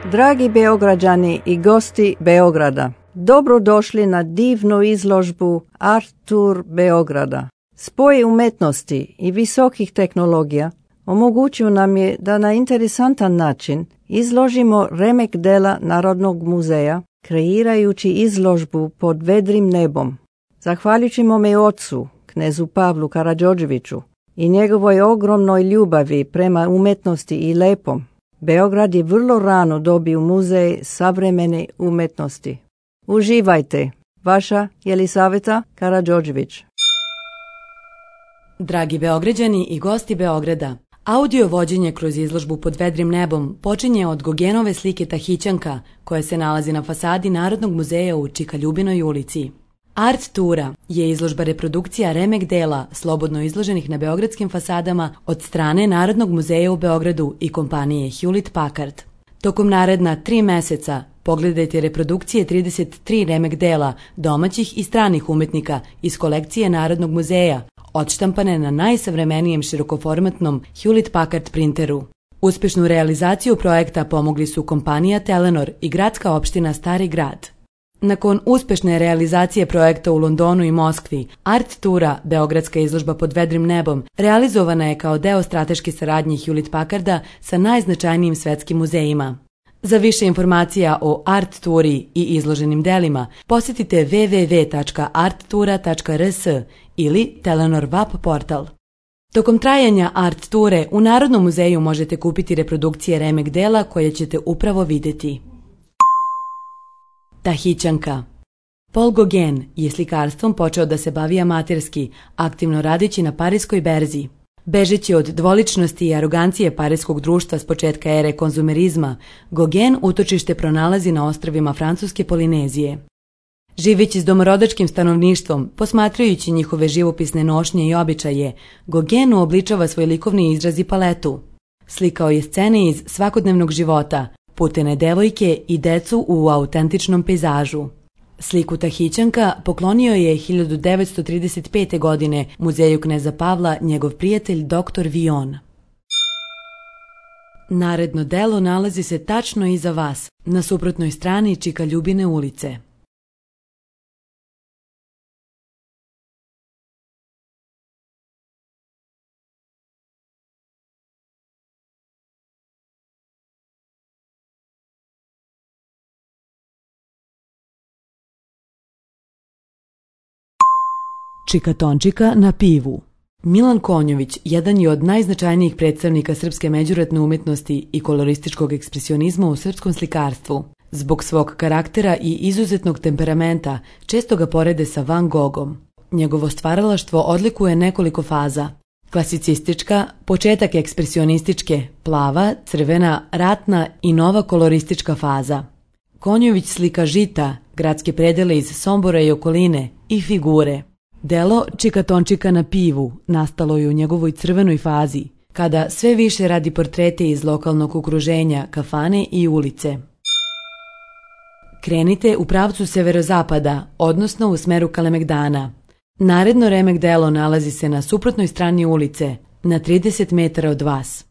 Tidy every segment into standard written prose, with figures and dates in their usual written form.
Dragi Beograđani i gosti Beograda, dobrodošli na divnu izložbu Art Tour Beograda. Spoj umetnosti i visokih tehnologija omogućio nam je da na interesantan način izložimo remek dela Narodnog muzeja, kreirajući izložbu pod vedrim nebom. Zahvaljujući mome ocu, knezu Pavlu Karadžodževiću, i njegovoj ogromnoj ljubavi prema umetnosti i lepom, Beograd je vrlo rano dobio muzej savremene umetnosti. Uživajte, vaša Jelisaveta Karadžodžević. Dragi Beograđani i gosti Beograda, audio vođenje kroz izložbu pod vedrim nebom počinje od Gogenove slike Tahićanka, koja se nalazi na fasadi Narodnog muzeja u Čikaljubinoj ulici. Art Tura je izložba reprodukcija remek dela slobodno izloženih na beogradskim fasadama od strane Narodnog muzeja u Beogradu i kompanije Hewlett Packard. Tokom naredna 3 meseca pogledajte reprodukcije 33 remek dela domaćih i stranih umetnika iz kolekcije Narodnog muzeja, odštampane na najsavremenijem širokoformatnom Hewlett Packard printeru. Uspešnu realizaciju projekta pomogli su kompanija Telenor i gradska opština Stari grad. Nakon uspešne realizacije projekta u Londonu i Moskvi, Art Tura, beogradska izložba pod vedrim nebom, realizovana je kao deo strateške saradnje Hewlett Packarda sa najznačajnijim svetskim muzejima. Za više informacija o Art Turi i izloženim delima, posjetite www.arttura.rs ili Telenor web portal. Tokom trajanja Art Ture u Narodnom muzeju možete kupiti reprodukcije remek dela koje ćete upravo videti. Tahićanka. Paul Gauguin je slikarstvom počeo da se bavi amaterski, aktivno radeći na Pariskoj berzi. Bežeći od dvoličnosti i arogancije parijskog društva s početka ere konzumerizma, Gauguin utočište pronalazi na ostrvima francuske Polinezije. Živeći s domorodačkim stanovništvom, posmatrajući njihove živopisne nošnje i običaje, Gauguin uobličava svoj likovni izraz i paletu. Slikao je scene iz svakodnevnog života, putene devojke i decu u autentičnom pejzažu. Sliku Tahićanka poklonio je 1935. godine muzeju kneza Pavla njegov prijatelj dr. Vion. Naredno delo nalazi se tačno iza vas, na suprotnoj strani Čikaljubine ulice. Čikatončika na pivu. Milan Konjović jedan je od najznačajnijih predstavnika srpske međuratne umetnosti i kolorističkog ekspresionizma u srpskom slikarstvu. Zbog svog karaktera i izuzetnog temperamenta često ga porede sa Van Gogom. Njegovo stvaralaštvo odlikuje nekoliko faza. Klasicistička, početak ekspresionističke, plava, crvena, ratna i nova koloristička faza. Konjović slika žita, gradske predele iz Sombora i okoline i figure. Delo Čikatončika na pivu nastalo je u njegovoj crvenoj fazi, kada sve više radi portrete iz lokalnog okruženja, kafane i ulice. Krenite u pravcu severozapada, odnosno u smeru Kalemegdana. Naredno remek delo nalazi se na suprotnoj strani ulice, na 30 metara od vas.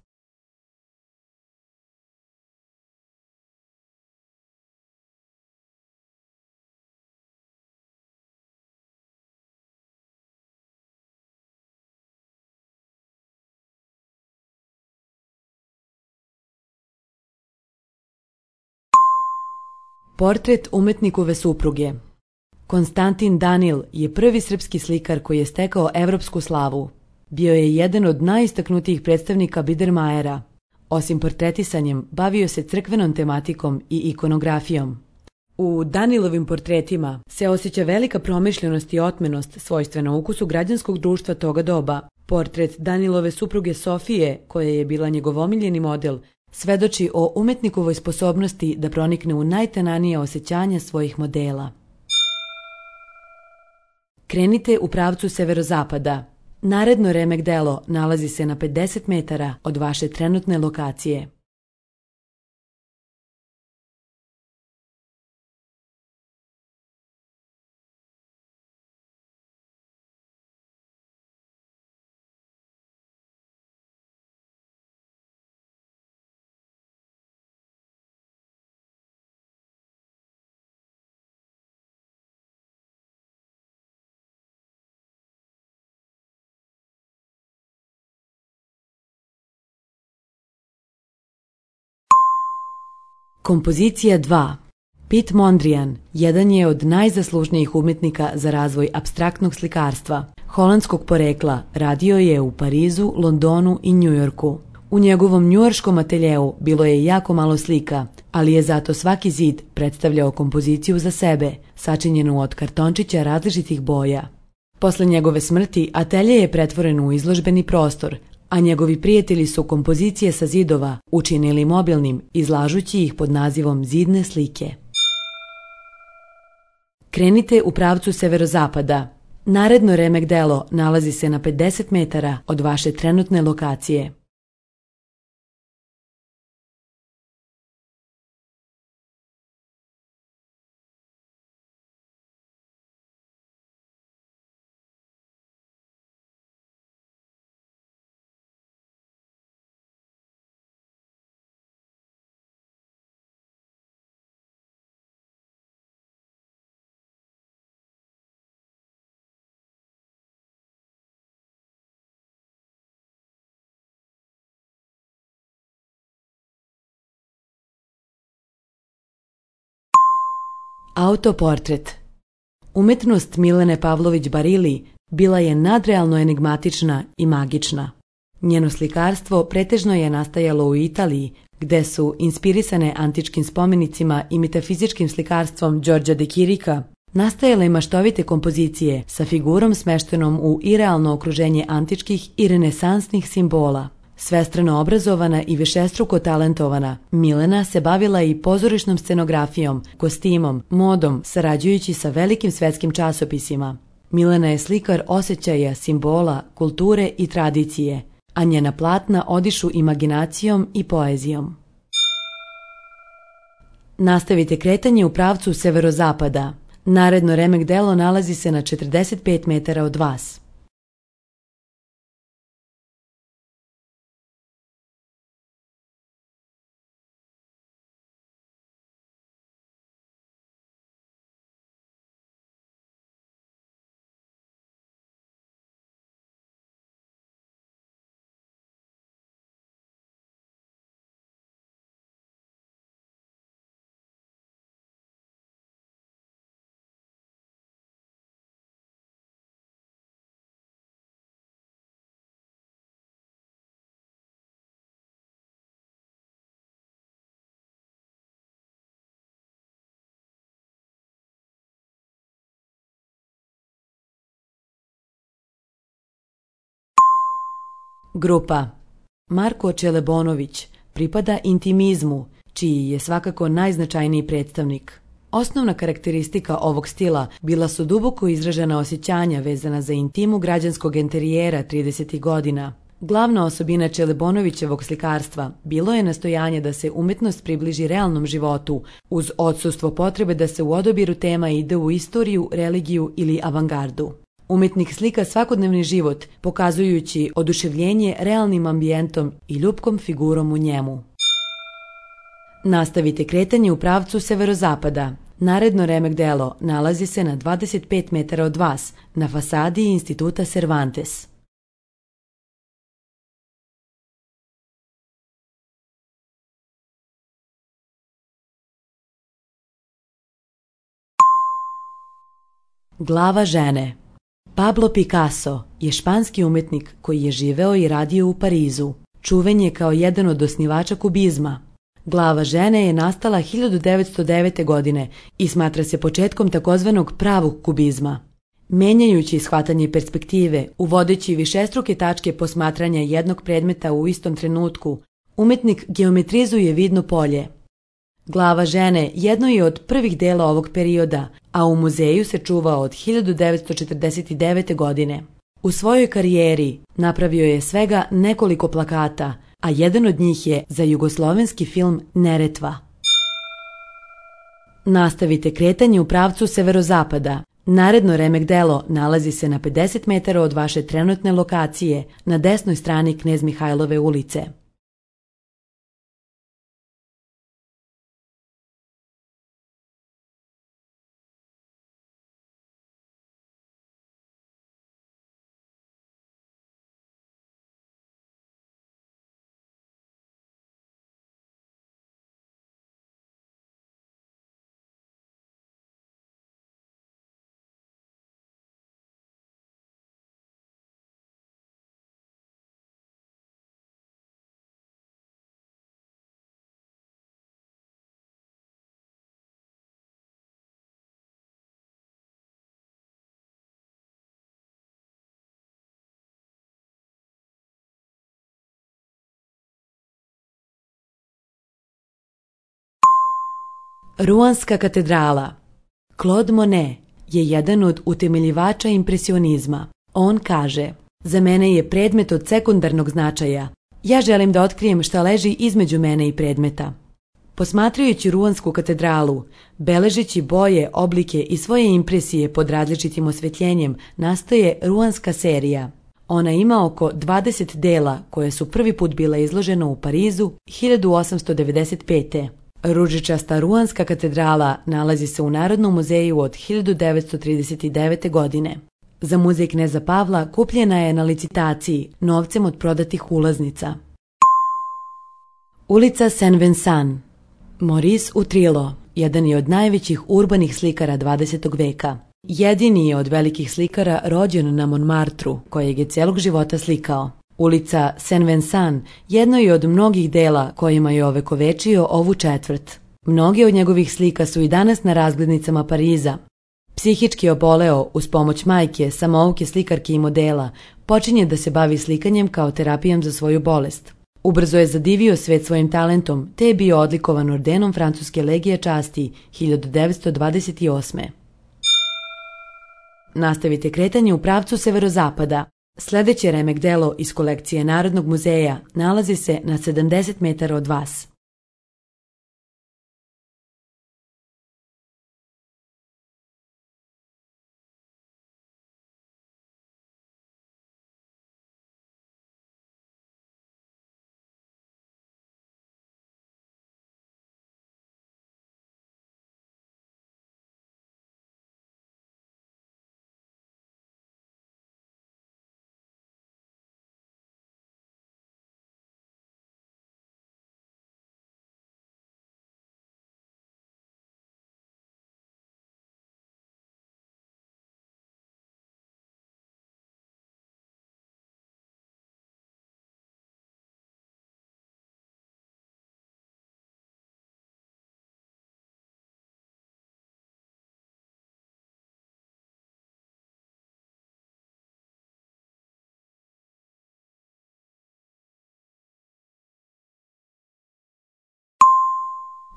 Portret umetnikove supruge. Konstantin Danil je prvi srpski slikar koji je stekao evropsku slavu. Bio je jedan od najistaknutijih predstavnika Biedermajera. Osim portretisanjem, bavio se crkvenom tematikom i ikonografijom. U Danilovim portretima se osjeća velika promišljenost i otmenost svojstvena ukusu građanskog društva toga doba. Portret Danilove supruge Sofije, koja je bila njegov omiljeni model, svedoči o umetnikovoj sposobnosti da pronikne u najtananije osjećanja svojih modela. Krenite u pravcu severozapada. Naredno remek delo nalazi se na 50 metara od vaše trenutne lokacije. Kompozicija 2. Piet Mondrian jedan je od najzaslužnijih umjetnika za razvoj apstraktnog slikarstva. Holandskog porekla, radio je u Parizu, Londonu i Njujorku. U njegovom njujorškom ateljeu bilo je jako malo slika, ali je zato svaki zid predstavljao kompoziciju za sebe, sačinjenu od kartončića različitih boja. Posle njegove smrti atelje je pretvoren u izložbeni prostor, a njegovi prijatelji su kompozicije sa zidova učinili mobilnim, izlažući ih pod nazivom zidne slike. Krenite u pravcu severozapada. Naredno remek delo nalazi se na 50 metara od vaše trenutne lokacije. Autoportret. Umetnost Milene Pavlović Barili bila je nadrealno enigmatična i magična. Njeno slikarstvo pretežno je nastajalo u Italiji, gde su, inspirisane antičkim spomenicima i metafizičkim slikarstvom Đorđa de Kirika, nastajale maštovite kompozicije sa figurom smeštenom u irealno okruženje antičkih i renesansnih simbola. Svestrano obrazovana i višestruko talentovana, Milena se bavila i pozorišnom scenografijom, kostimom, modom, sarađujući sa velikim svetskim časopisima. Milena je slikar osjećaja, simbola, kulture i tradicije, a njena platna odišu imaginacijom i poezijom. Nastavite kretanje u pravcu severozapada. Naredno remek delo nalazi se na 45 metara od vas. Grupa. Marko Čelebonović pripada intimizmu, čiji je svakako najznačajniji predstavnik. Osnovna karakteristika ovog stila bila su duboko izražena osjećanja vezana za intimu građanskog enterijera 30. godina. Glavna osobina Čelebonovićevog slikarstva bilo je nastojanje da se umetnost približi realnom životu, uz odsustvo potrebe da se u odabiru tema ide u istoriju, religiju ili avangardu. Umetnik slika svakodnevni život, pokazujući oduševljenje realnim ambijentom i ljubkom figurom u njemu. Nastavite kretanje u pravcu severozapada. Naredno remek delo nalazi se na 25 metara od vas, na fasadi Instituta Cervantes. Glava žene. Pablo Picasso je španski umetnik koji je živeo i radio u Parizu. Čuven je kao jedan od osnivača kubizma. Glava žene je nastala 1909. godine i smatra se početkom takozvanog pravog kubizma. Menjajući shvatanje perspektive, uvodeći višestruke tačke posmatranja jednog predmeta u istom trenutku, umetnik geometrizuje vidno polje. Glava žene jedno je od prvih dela ovog perioda, a u muzeju se čuva od 1949. godine. U svojoj karijeri napravio je svega nekoliko plakata, a jedan od njih je za jugoslovenski film Neretva. Nastavite kretanje u pravcu severozapada. Naredno remek delo nalazi se na 50 metara od vaše trenutne lokacije, na desnoj strani Knez Mihajlove ulice. Ruanska katedrala. Claude Monet je jedan od utemeljivača impresionizma. On kaže: za mene je predmet od sekundarnog značaja. Ja želim da otkrijem šta leži između mene i predmeta. Posmatrajući Ruansku katedralu, beležeći boje, oblike i svoje impresije pod različitim osvetljenjem, nastaje Ruanska serija. Ona ima oko 20 dela koje su prvi put bila izložena u Parizu 1895. Ružičasta Ruanska katedrala nalazi se u Narodnom muzeju od 1939. godine. Za muzej kneza Pavla kupljena je na licitaciji novcem od prodatih ulaznica. Ulica Saint-Vincent. Maurice Utrillo jedan je od najvećih urbanih slikara 20. veka. Jedini je od velikih slikara rođen na Montmartru, kojeg je celog života slikao. Ulica Saint-Vincent jedno je od mnogih dela kojima je ovekovečio ovu četvrt. Mnoge od njegovih slika su i danas na razglednicama Pariza. Psihički oboleo, uz pomoć majke, samouke slikarke i modela, počinje da se bavi slikanjem kao terapijom za svoju bolest. Ubrzo je zadivio svet svojim talentom, te je bio odlikovan ordenom Francuske legije časti 1928. Nastavite kretanje u pravcu severozapada. Sljedeće remek delo iz kolekcije Narodnog muzeja nalazi se na 70 metara od vas.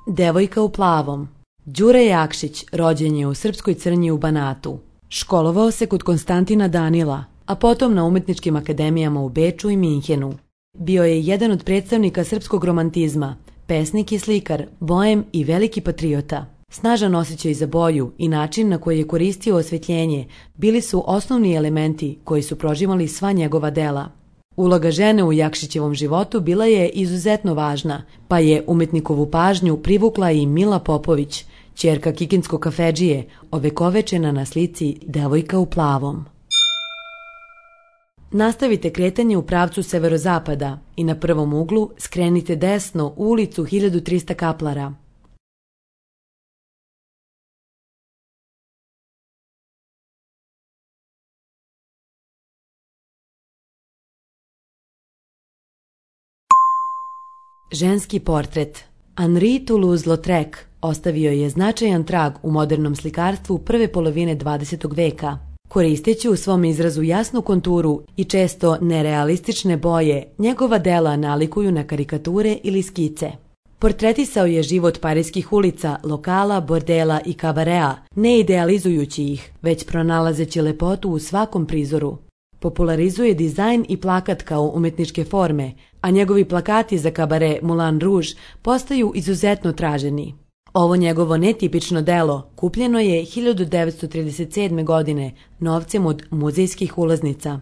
Devojka u plavom. Đure Jakšić rođen je u Srpskoj Crnji u Banatu. Školovao se kod Konstantina Danila, a potom na umetničkim akademijama u Beču i Minhenu. Bio je jedan od predstavnika srpskog romantizma, pesnik i slikar, boem i veliki patriota. Snažan osjećaj za boju i način na koji je koristio osvetljenje bili su osnovni elementi koji su prožimali sva njegova dela. Uloga žene u Jakšićevom životu bila je izuzetno važna, pa je umetnikovu pažnju privukla i Mila Popović, ćerka kikinskog kafedžije, ovekovečena na slici Devojka u plavom. Nastavite kretanje u pravcu severozapada i na prvom uglu skrenite desno u ulicu 1300 kaplara. Ženski portret. Henri Toulouse-Lautrec ostavio je značajan trag u modernom slikarstvu prve polovine 20. veka. Koristeći u svom izrazu jasnu konturu i često nerealistične boje, njegova dela nalikuju na karikature ili skice. Portretisao je život parijskih ulica, lokala, bordela i kabarea, ne idealizujući ih, već pronalazeći lepotu u svakom prizoru. Popularizuje dizajn i plakat kao umetničke forme, a njegovi plakati za kabare Moulin Rouge postaju izuzetno traženi. Ovo njegovo netipično delo kupljeno je 1937. godine novcem od muzejskih ulaznica.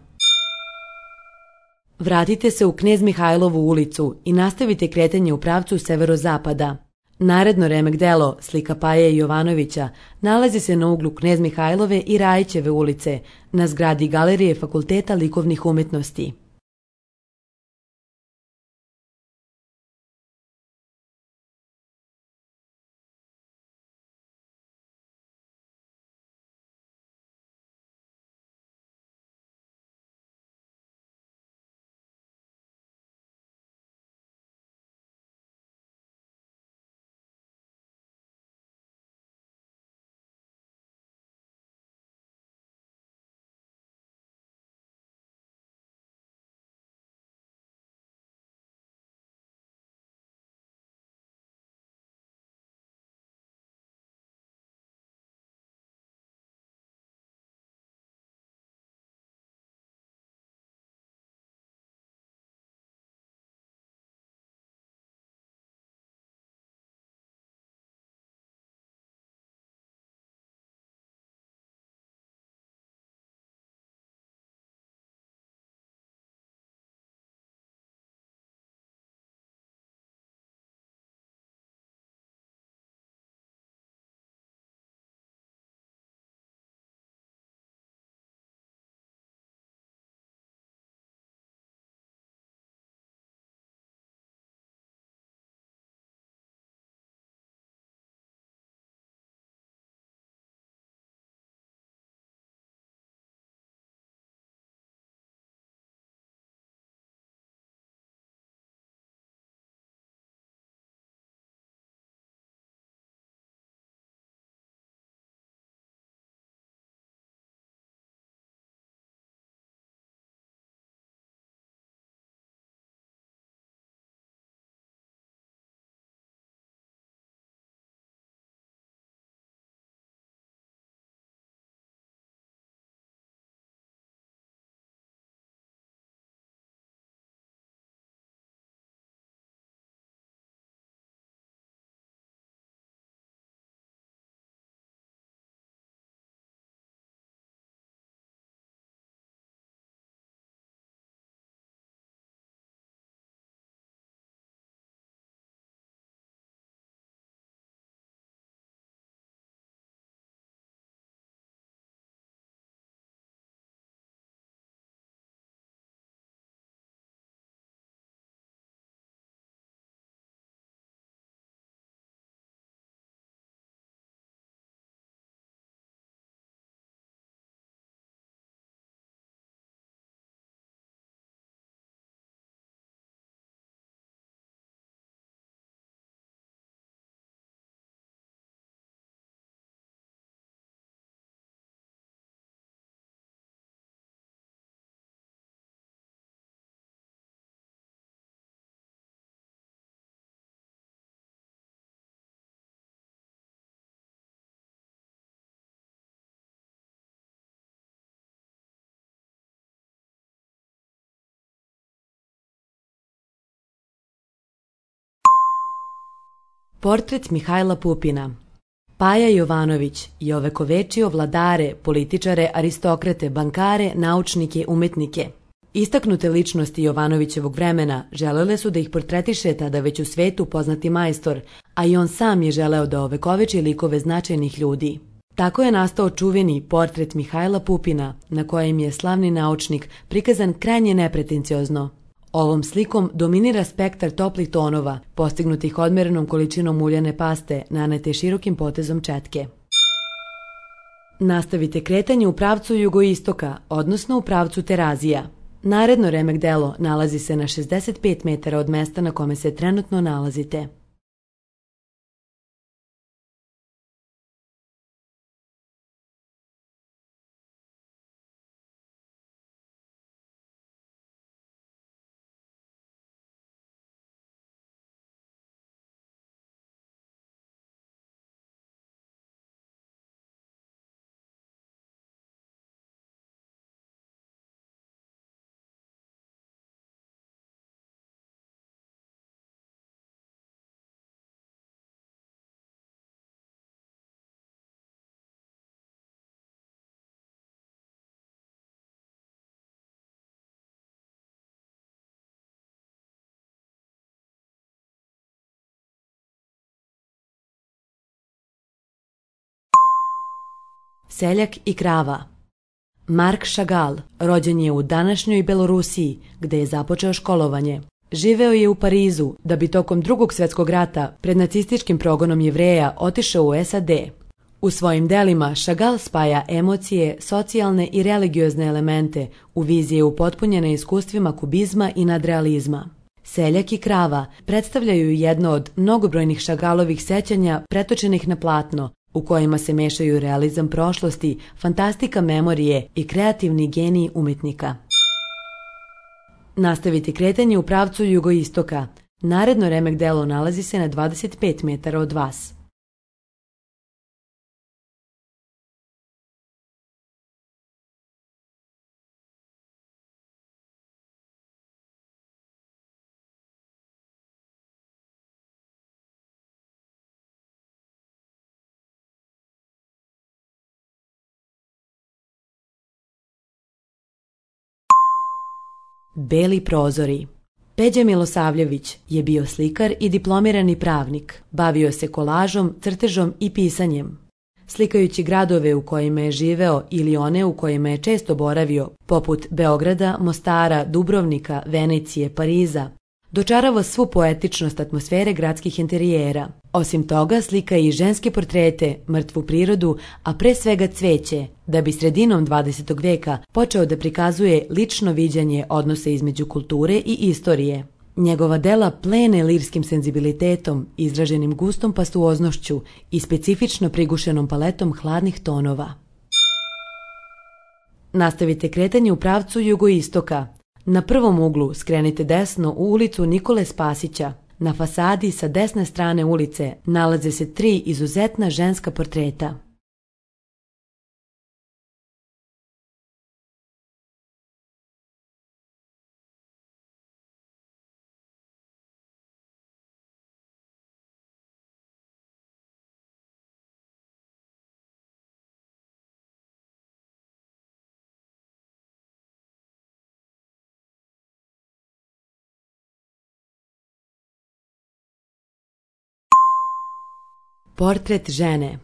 Vratite se u Knez Mihajlovu ulicu i nastavite kretanje u pravcu severozapada. Naredno remek delo, slika Paje Jovanovića, nalazi se na uglu Knez Mihajlove i Rajićeve ulice, na zgradi Galerije Fakulteta likovnih umetnosti. Portret Mihajla Pupina. Paja Jovanović je ovekovečio vladare, političare, aristokrate, bankare, naučnike, umetnike. Istaknute ličnosti Jovanovićevog vremena želele su da ih portretiše tada već u svetu poznati majstor, a i on sam je želeo da ovekoveči likove značajnih ljudi. Tako je nastao čuveni portret Mihajla Pupina, na kojem je slavni naučnik prikazan krajnje nepretenciozno. Ovom slikom dominira spektar toplih tonova, postignutih odmerenom količinom uljane paste, nanete širokim potezom četke. Nastavite kretanje u pravcu jugoistoka, odnosno u pravcu Terazija. Naredno remek delo nalazi se na 65 metara od mesta na kome se trenutno nalazite. Seljak i krava. Mark Chagall rođen je u današnjoj Belorusiji, gde je započeo školovanje. Živeo je u Parizu, da bi tokom Drugog svjetskog rata pred nacističkim progonom Jevreja otišao u SAD. U svojim delima Chagall spaja emocije, socijalne i religiozne elemente u vizije upotpunjene iskustvima kubizma i nadrealizma. Seljak i krava predstavljaju jedno od mnogobrojnih Chagallovih sećanja pretočenih na platno, u kojima se mešaju realizam prošlosti, fantastika memorije i kreativni genij umetnika. Nastavite kretanje u pravcu jugoistoka. Naredno remek delo nalazi se na 25 metara od vas. Beli prozori. Peđa Milosavljević je bio slikar i diplomirani pravnik. Bavio se kolažom, crtežom i pisanjem. Slikajući gradove u kojima je živeo ili one u kojima je često boravio, poput Beograda, Mostara, Dubrovnika, Venecije, Pariza, dočarava svu poetičnost atmosfere gradskih interijera. Osim toga, slika i ženske portrete, mrtvu prirodu, a pre svega cveće, da bi sredinom 20. veka počeo da prikazuje lično viđanje odnosa između kulture i istorije. Njegova dela plene lirskim senzibilitetom, izraženim gustom pastuoznošću i specifično prigušenom paletom hladnih tonova. Nastavite kretanje u pravcu jugoistoka. Na prvom uglu skrenite desno u ulicu Nikole Spasića. Na fasadi sa desne strane ulice nalaze se 3 izuzetna ženska portreta. Portret žene.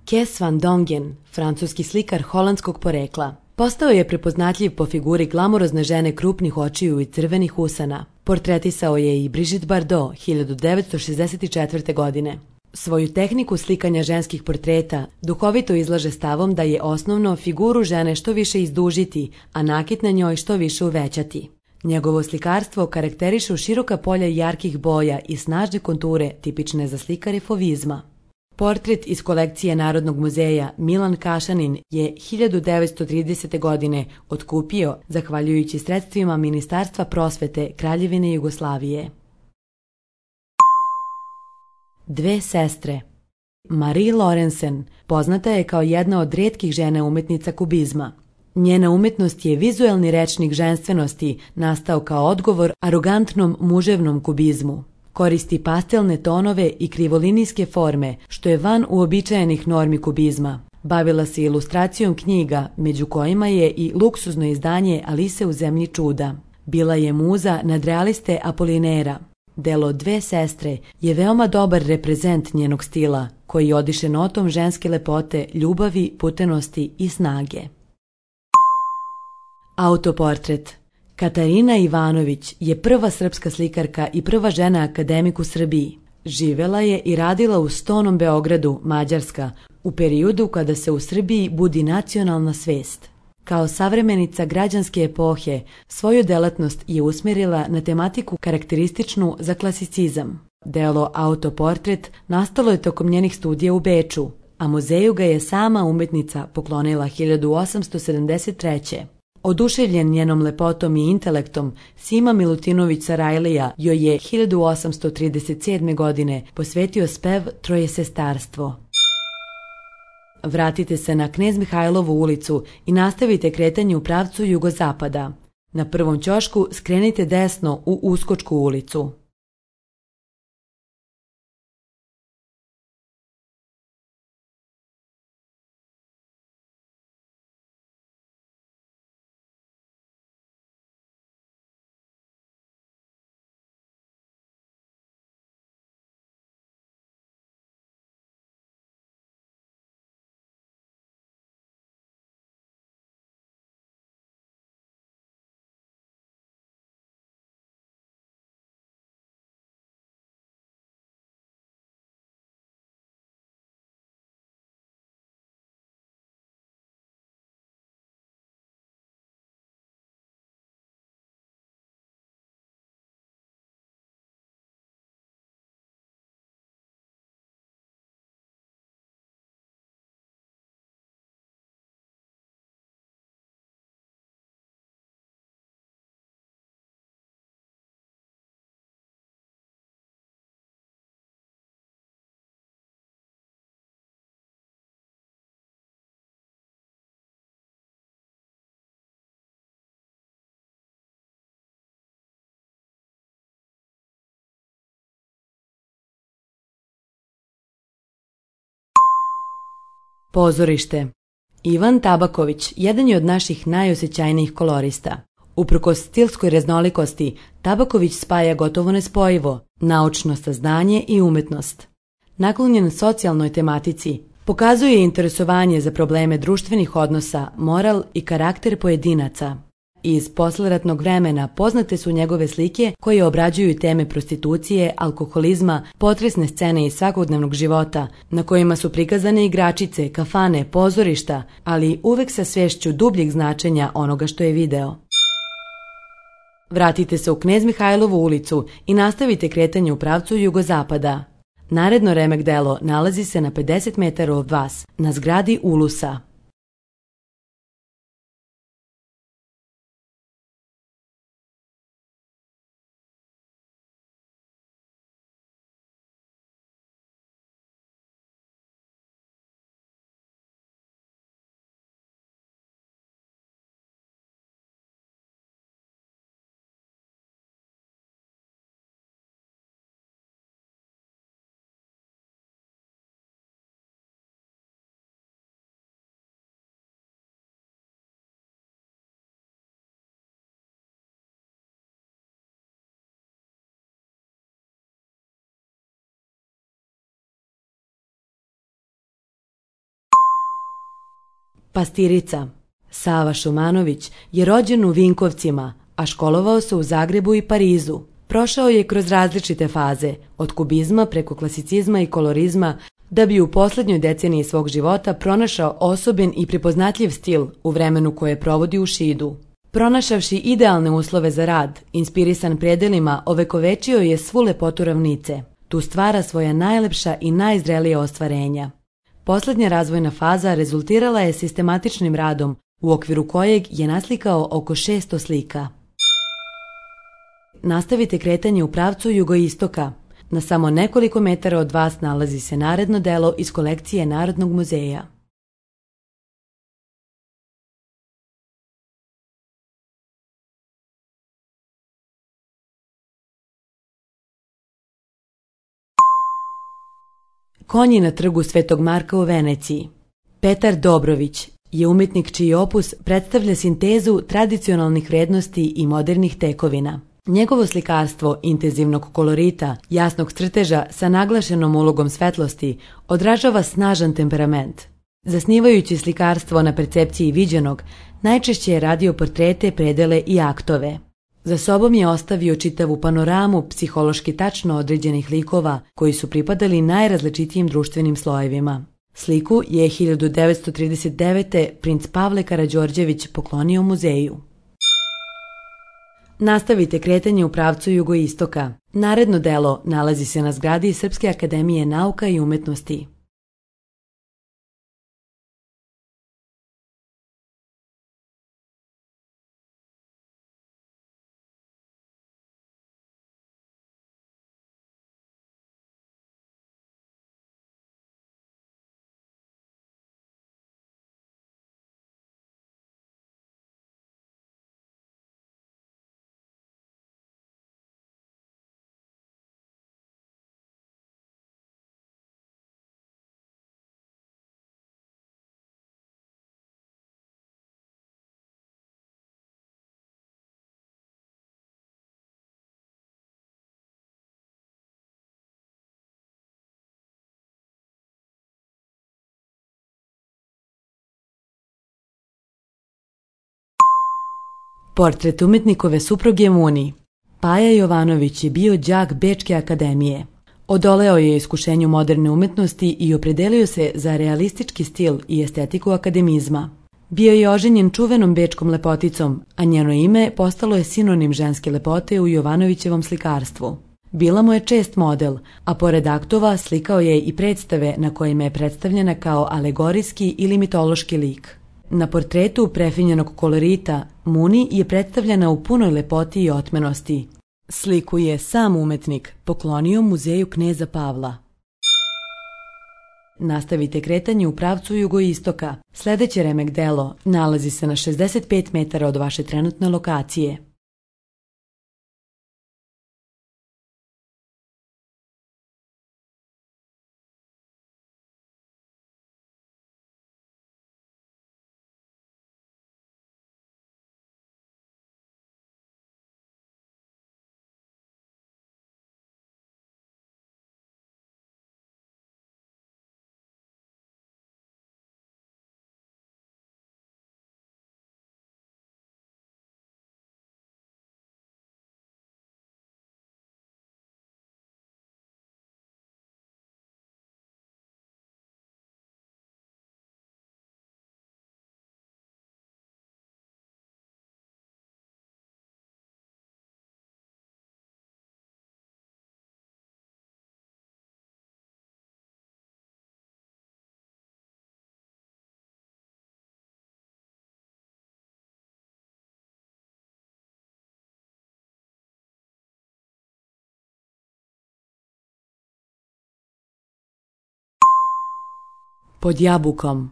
Kes van Dongen, francuski slikar holandskog porekla. Postao je prepoznatljiv po figuri glamurozne žene krupnih očiju i crvenih usana. Portretisao je i Brigitte Bardot 1964. godine. Svoju tehniku slikanja ženskih portreta duhovito izlaže stavom da je osnovno figuru žene što više izdužiti, a nakit na njoj što više uvećati. Njegovo slikarstvo karakterišu široka polja jarkih boja i snažne konture tipične za slikare fovizma. Portret iz kolekcije Narodnog muzeja Milan Kašanin je 1930. godine otkupio zahvaljujući sredstvima Ministarstva prosvete Kraljevine Jugoslavije. Dve sestre. Marie Laurencen poznata je kao jedna od rijetkih žena umetnica kubizma. Njena umetnost je vizuelni rečnik ženstvenosti nastao kao odgovor arogantnom muževnom kubizmu. Koristi pastelne tonove i krivolinijske forme, što je van uobičajenih normi kubizma. Bavila se ilustracijom knjiga, među kojima je i luksuzno izdanje Alise u zemlji čuda. Bila je muza nadrealiste Apolinera. Delo Dve sestre je veoma dobar reprezent njenog stila, koji odiše notom ženske lepote, ljubavi, putenosti i snage. Autoportret. Katarina Ivanović je prva srpska slikarka i prva žena akademik u Srbiji. Živela je i radila u Stonom Beogradu, Mađarska, u periodu kada se u Srbiji budi nacionalna svest. Kao savremenica građanske epohe, svoju delatnost je usmjerila na tematiku karakterističnu za klasicizam. Delo Autoportret nastalo je tokom njenih studija u Beču, a muzeju ga je sama umetnica poklonila 1873. Oduševljen njenom lepotom i intelektom, Sima Milutinović Sarajlija joj je 1837. godine posvetio spev Trojesestarstvo. Vratite se na Knez Mihajlovu ulicu i nastavite kretanje u pravcu jugozapada. Na prvom ćošku skrenite desno u Uskočku ulicu. Pozorište. Ivan Tabaković jedan je od naših najosjećajnijih kolorista. Uprkos stilskoj raznolikosti, Tabaković spaja gotovo nespojivo naučno saznanje i umetnost. Naklonjen socijalnoj tematici, pokazuje interesovanje za probleme društvenih odnosa, moral i karakter pojedinaca. Iz posleratnog vremena poznate su njegove slike koje obrađuju teme prostitucije, alkoholizma, potresne scene iz svakodnevnog života, na kojima su prikazane igračice, kafane, pozorišta, ali uvek sa svešću dubljeg značenja onoga što je video. Vratite se u Knez Mihajlovu ulicu i nastavite kretanje u pravcu jugozapada. Naredno remek delo nalazi se na 50 metara od vas, na zgradi Ulusa. Pastirica. Sava Šumanović je rođen u Vinkovcima, a školovao se u Zagrebu i Parizu. Prošao je kroz različite faze, od kubizma preko klasicizma i kolorizma, da bi u poslednjoj deceniji svog života pronašao osoben i prepoznatljiv stil u vremenu koje provodi u Šidu. Pronašavši idealne uslove za rad, inspirisan predelima, ovekovečio je svu lepotu ravnice. Tu stvara svoja najlepša i najzrelija ostvarenja. Poslednja razvojna faza rezultirala je sistematičnim radom, u okviru kojeg je naslikao oko 600 slika. Nastavite kretanje u pravcu jugoistoka. Na samo nekoliko metara od vas nalazi se naredno delo iz kolekcije Narodnog muzeja. Konji na trgu Svetog Marka u Veneciji. Petar Dobrović je umetnik čiji opus predstavlja sintezu tradicionalnih vrednosti i modernih tekovina. Njegovo slikarstvo intenzivnog kolorita, jasnog crteža sa naglašenom ulogom svetlosti odražava snažan temperament. Zasnivajući slikarstvo na percepciji viđenog, najčešće je radio portrete, predele i aktove. Za sobom je ostavio čitavu panoramu psihološki tačno određenih likova koji su pripadali najrazličitijim društvenim slojevima. Sliku je 1939. princ Pavle Karađorđević poklonio muzeju. Nastavite kretanje u pravcu jugoistoka. Naredno delo nalazi se na zgradi Srpske akademije nauka i umetnosti. Portret umetnikove supruge Muni. Paja Jovanović je bio đak Bečke akademije. Odoleo je iskušenju moderne umetnosti i opredelio se za realistički stil i estetiku akademizma. Bio je oženjen čuvenom bečkom lepoticom, a njeno ime postalo je sinonim ženske lepote u Jovanovićevom slikarstvu. Bila mu je čest model, a pored aktova slikao je i predstave na kojima je predstavljena kao alegorijski ili mitološki lik. Na portretu prefinjenog kolorita Muni je predstavljena u punoj lepoti i otmenosti. Sliku je sam umetnik poklonio muzeju kneza Pavla. Nastavite kretanje u pravcu jugoistoka. Sljedeće remek delo nalazi se na 65 metara od vaše trenutne lokacije. Pod jabukom.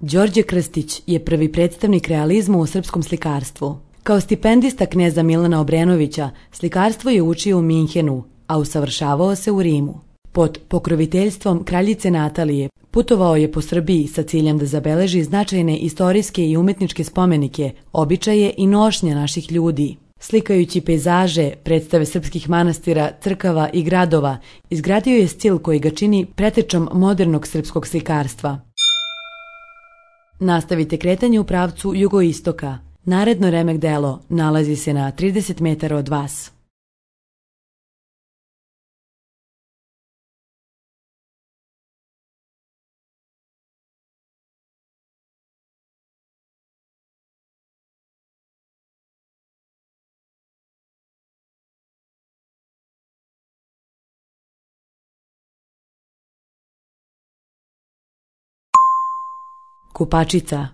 Đorđe Krstić je prvi predstavnik realizma u srpskom slikarstvu. Kao stipendista kneza Milana Obrenovića, slikarstvo je učio u Minhenu, a usavršavao se u Rimu. Pod pokroviteljstvom kraljice Natalije putovao je po Srbiji sa ciljem da zabeleži značajne istorijske i umetničke spomenike, običaje i nošnje naših ljudi. Slikajući pejzaže, predstave srpskih manastira, crkava i gradova, izgradio je stil koji ga čini pretečom modernog srpskog slikarstva. Nastavite kretanje u pravcu jugoistoka. Naredno remek delo nalazi se na 30 metara od vas. Kupačica.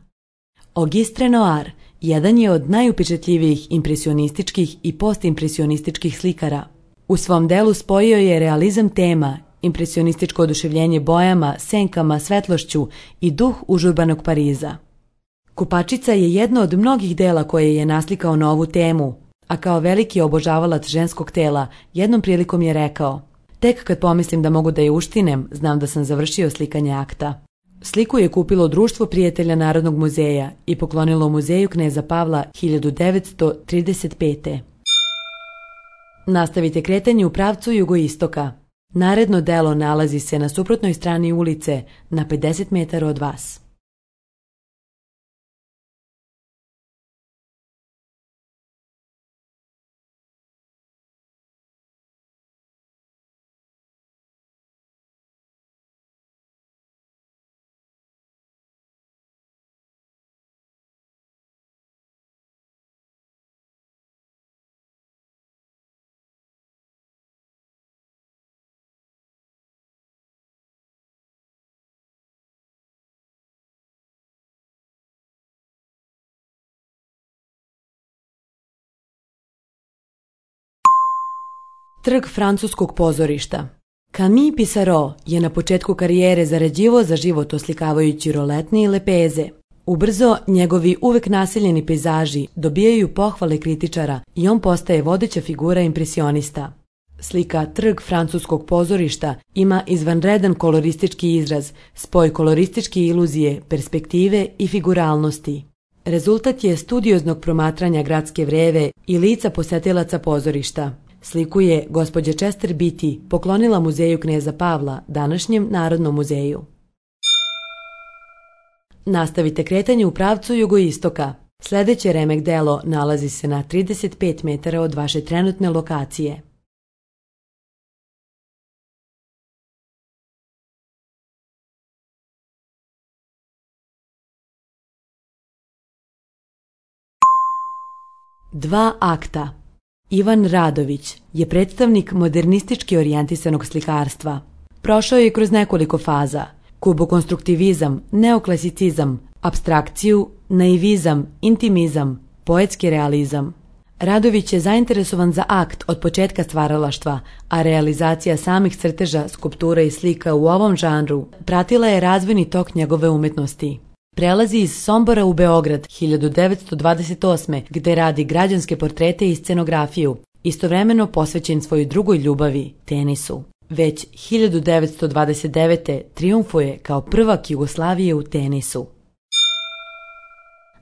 Auguste Renoir jedan je od najupečatljivijih impresionističkih i postimpresionističkih slikara. U svom delu spojio je realizam tema, impresionističko oduševljenje bojama, senkama, svetlošću i duh užurbanog Pariza. Kupačica je jedno od mnogih dela koje je naslikao na ovu temu, a kao veliki obožavalac ženskog tela jednom prilikom je rekao: Tek kad pomislim da mogu da je uštinem, znam da sam završio slikanje akta. Sliku je kupilo Društvo prijatelja Narodnog muzeja i poklonilo Muzeju kneza Pavla 1935. Nastavite kretanje u pravcu jugoistoka. Naredno delo nalazi se na suprotnoj strani ulice, na 50 metara od vas. Trg francuskog pozorišta. Camille Pissarro je na početku karijere zarađivao za život oslikavajući roletne i lepeze. Ubrzo, njegovi uvek naseljeni pejzaži dobijaju pohvale kritičara i on postaje vodeća figura impresionista. Slika Trg francuskog pozorišta ima izvanredan koloristički izraz, spoj kolorističke iluzije, perspektive i figuralnosti. Rezultat je studioznog promatranja gradske vreve i lica posetilaca pozorišta. Sliku je gospođa Chester Beatty poklonila Muzeju kneza Pavla, današnjem Narodnom muzeju. Nastavite kretanje u pravcu jugoistoka. Sljedeće remek delo nalazi se na 35 metara od vaše trenutne lokacije. Dva akta. Ivan Radović je predstavnik modernistički orijentisanog slikarstva. Prošao je kroz nekoliko faza: kubokonstruktivizam, neoklasicizam, apstrakciju, naivizam, intimizam, poetski realizam. Radović je zainteresovan za akt od početka stvaralaštva, a realizacija samih crteža, skulptura i slika u ovom žanru pratila je razvojni tok njegove umetnosti. Prelazi iz Sombora u Beograd 1928. gde radi građanske portrete i scenografiju, istovremeno posvećen svojoj drugoj ljubavi, tenisu. Već 1929. trijumfuje kao prvak Jugoslavije u tenisu.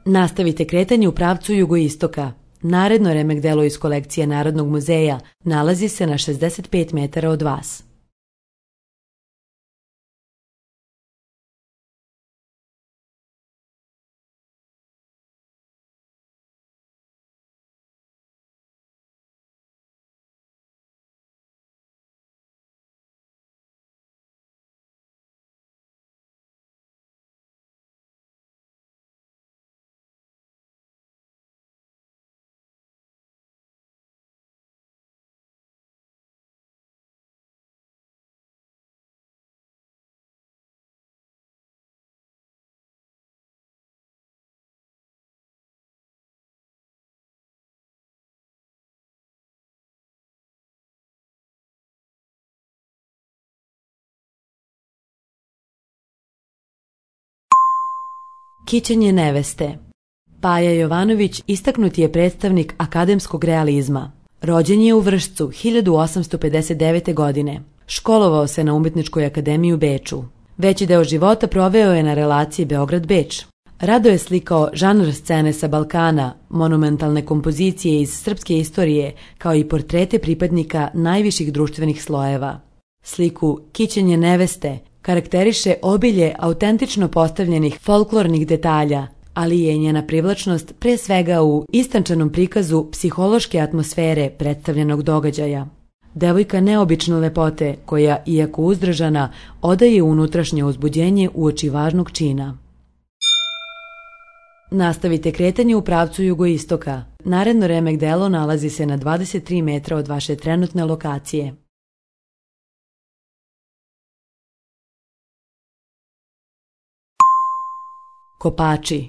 Nastavite kretanje u pravcu jugoistoka. Naredno remek delo iz kolekcije Narodnog muzeja nalazi se na 65 metara od vas. Kićenje neveste. Paja Jovanović istaknuti je predstavnik akademskog realizma. Rođen je u Vršcu 1859. godine. Školovao se na Umetničkoj akademiji u Beču. Veći deo života proveo je na relaciji Beograd-Beč. Rado je slikao žanr scene sa Balkana, monumentalne kompozicije iz srpske istorije, kao i portrete pripadnika najviših društvenih slojeva. Sliku Kićenje neveste karakteriše obilje autentično postavljenih folklornih detalja, ali je njena privlačnost pre svega u istančanom prikazu psihološke atmosfere predstavljenog događaja. Devojka neobične lepote koja, iako uzdržana, odaje unutrašnje uzbuđenje uoči važnog čina. Nastavite kretanje u pravcu jugoistoka. Naredno remek delo nalazi se na 23 metra od vaše trenutne lokacije. Kopači.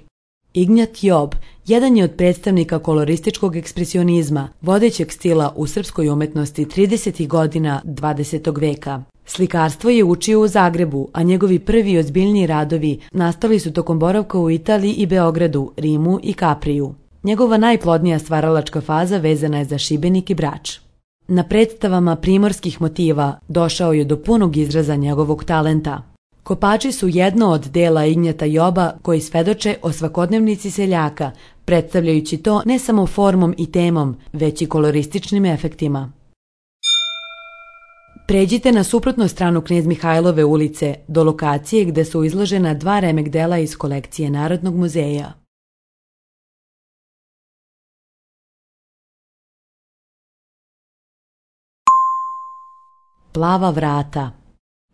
Ignjat Job jedan je od predstavnika kolorističkog ekspresionizma, vodećeg stila u srpskoj umetnosti 30. godina 20. veka. Slikarstvo je učio u Zagrebu, a njegovi prvi ozbiljniji radovi nastali su tokom boravka u Italiji i Beogradu, Rimu i Kapriju. Njegova najplodnija stvaralačka faza vezana je za Šibenik i Brač. Na predstavama primorskih motiva došao je do punog izraza njegovog talenta. Kopači su jedno od dela Ignjata Joba koji svedoče o svakodnevnici seljaka, predstavljajući to ne samo formom i temom, već i kolorističnim efektima. Pređite na suprotnu stranu Knez Mihajlove ulice do lokacije gde su izložena 2 remek dela iz kolekcije Narodnog muzeja. Plava vrata.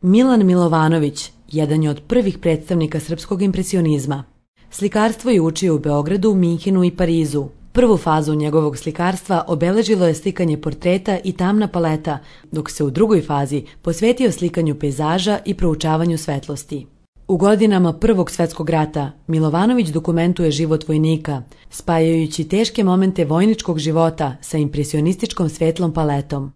Milan Milovanović jedan je od prvih predstavnika srpskog impresionizma. Slikarstvo je učio u Beogradu, Minhenu i Parizu. Prvu fazu njegovog slikarstva obeležilo je slikanje portreta i tamna paleta, dok se u drugoj fazi posvetio slikanju pejzaža i proučavanju svetlosti. U godinama Prvog svetskog rata Milovanović dokumentuje život vojnika, spajajući teške momente vojničkog života sa impresionističkom svetlom paletom.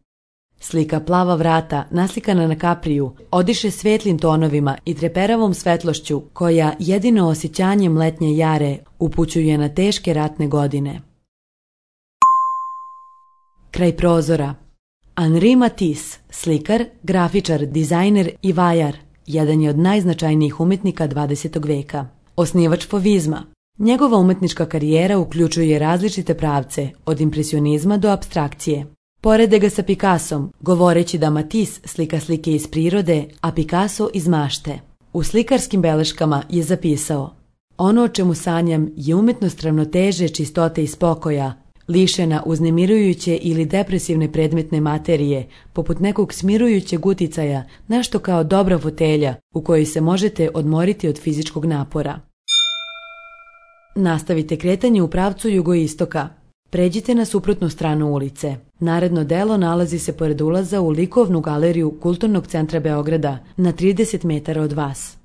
Slika Plava vrata, naslikana na kapriju, odiše svetlim tonovima i treperavom svetlošću koja jedino osjećanjem letnje jare upućuje na teške ratne godine. Kraj prozora. Henri Matisse, slikar, grafičar, dizajner i vajar, jedan je od najznačajnijih umetnika 20. veka. Osnivač fovizma. Njegova umetnička karijera uključuje različite pravce, od impresionizma do apstrakcije. Porede ga sa Picassom, govoreći da Matisse slika slike iz prirode, a Picasso iz mašte. U slikarskim beleškama je zapisao: ono o čemu sanjam je umetnost ravnoteže, čistote i spokoja, lišena uznemirujuće ili depresivne predmetne materije, poput nekog smirujućeg uticaja, nešto kao dobra fotelja u kojoj se možete odmoriti od fizičkog napora. Nastavite kretanje u pravcu jugoistoka. Pređite na suprotnu stranu ulice. Naredno delo nalazi se pored ulaza u likovnu galeriju Kulturnog centra Beograda, na 30 metara od vas.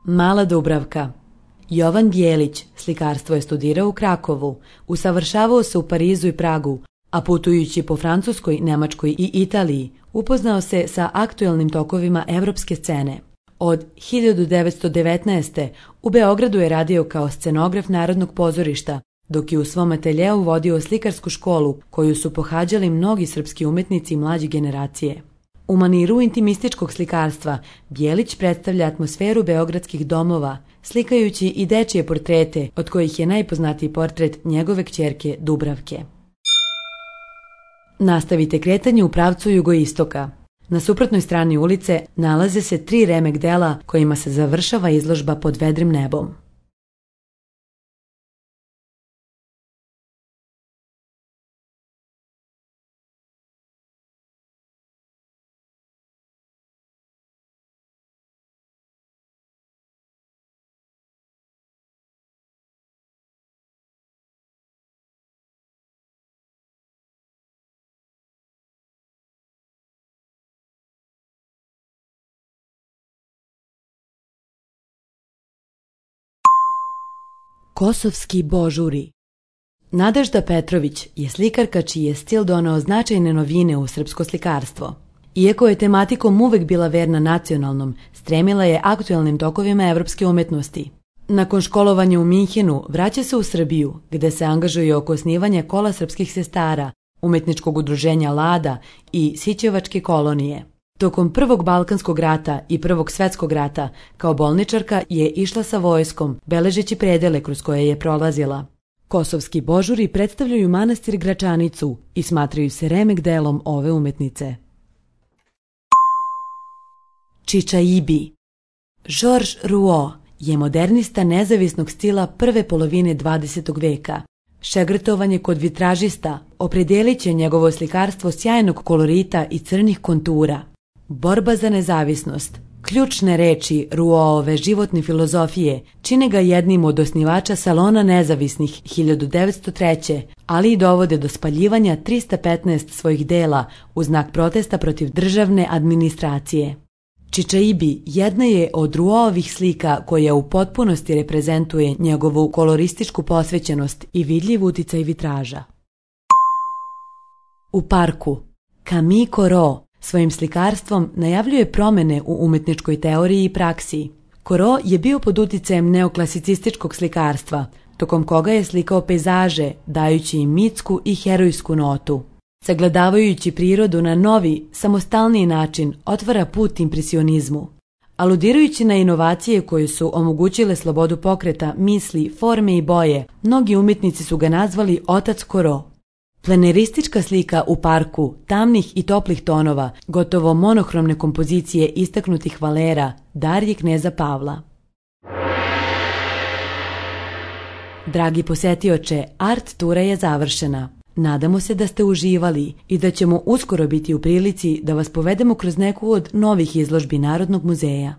Mala Dubravka. Jovan Bjelić slikarstvo je studirao u Krakovu, usavršavao se u Parizu i Pragu, a putujući po Francuskoj, Nemačkoj i Italiji upoznao se sa aktuelnim tokovima evropske scene. Od 1919. u Beogradu je radio kao scenograf Narodnog pozorišta, dok je u svom ateljeu vodio slikarsku školu koju su pohađali mnogi srpski umetnici mlađe generacije. U maniru intimističkog slikarstva Bjelić predstavlja atmosferu beogradskih domova, slikajući i dečije portrete, od kojih je najpoznatiji portret njegove kćerke Dubravke. Nastavite kretanje u pravcu jugoistoka. Na suprotnoj strani ulice nalaze se 3 remek dela kojima se završava izložba Pod vedrim nebom. Kosovski božuri. Nadežda Petrović je slikarka čiji je stil doneo značajne novine u srpsko slikarstvo. Iako je tematikom uvek bila verna nacionalnom, stremila je aktuelnim tokovima evropske umetnosti. Nakon školovanja u Minhenu vraća se u Srbiju, gde se angažuje oko osnivanja Kola srpskih sestara, umetničkog udruženja Lada i Sićevačke kolonije. Tokom Prvog Balkanskog rata i Prvog svetskog rata kao bolničarka je išla sa vojskom, beležeći predele kroz koje je prolazila. Kosovski božuri predstavljaju manastir Gračanicu i smatraju se remek delom ove umetnice. Čičaibi. Georges Rouault je modernista nezavisnog stila prve polovine 20. veka. Šegrtovan je kod vitražista, opredelit će njegovo slikarstvo sjajnog kolorita i crnih kontura. Borba za nezavisnost. Ključne reči Rouaultove životne filozofije čine ga jednim od osnivača Salona nezavisnih 1903. ali i dovode do spaljivanja 315 svojih dela u znak protesta protiv državne administracije. Čičaibi jedna je od Rouaultovih slika koja u potpunosti reprezentuje njegovu kolorističku posvećenost i vidljiv uticaj vitraža. U parku. Camille Corot svojim slikarstvom najavljuje promene u umetničkoj teoriji i praksi. Corot je bio pod uticajem neoklasicističkog slikarstva, tokom koga je slikao pejzaže, dajući im mitsku i herojsku notu. Sagledavajući prirodu na novi, samostalniji način, otvara put impresionizmu. Aludirajući na inovacije koje su omogućile slobodu pokreta, misli, forme i boje, mnogi umjetnici su ga nazvali otac Corot. Pleneristička slika u parku, tamnih i toplih tonova, gotovo monohromne kompozicije istaknutih valera, dar je kneza Pavla. Dragi posetioče, art tura je završena. Nadamo se da ste uživali i da ćemo uskoro biti u prilici da vas povedemo kroz neku od novih izložbi Narodnog muzeja.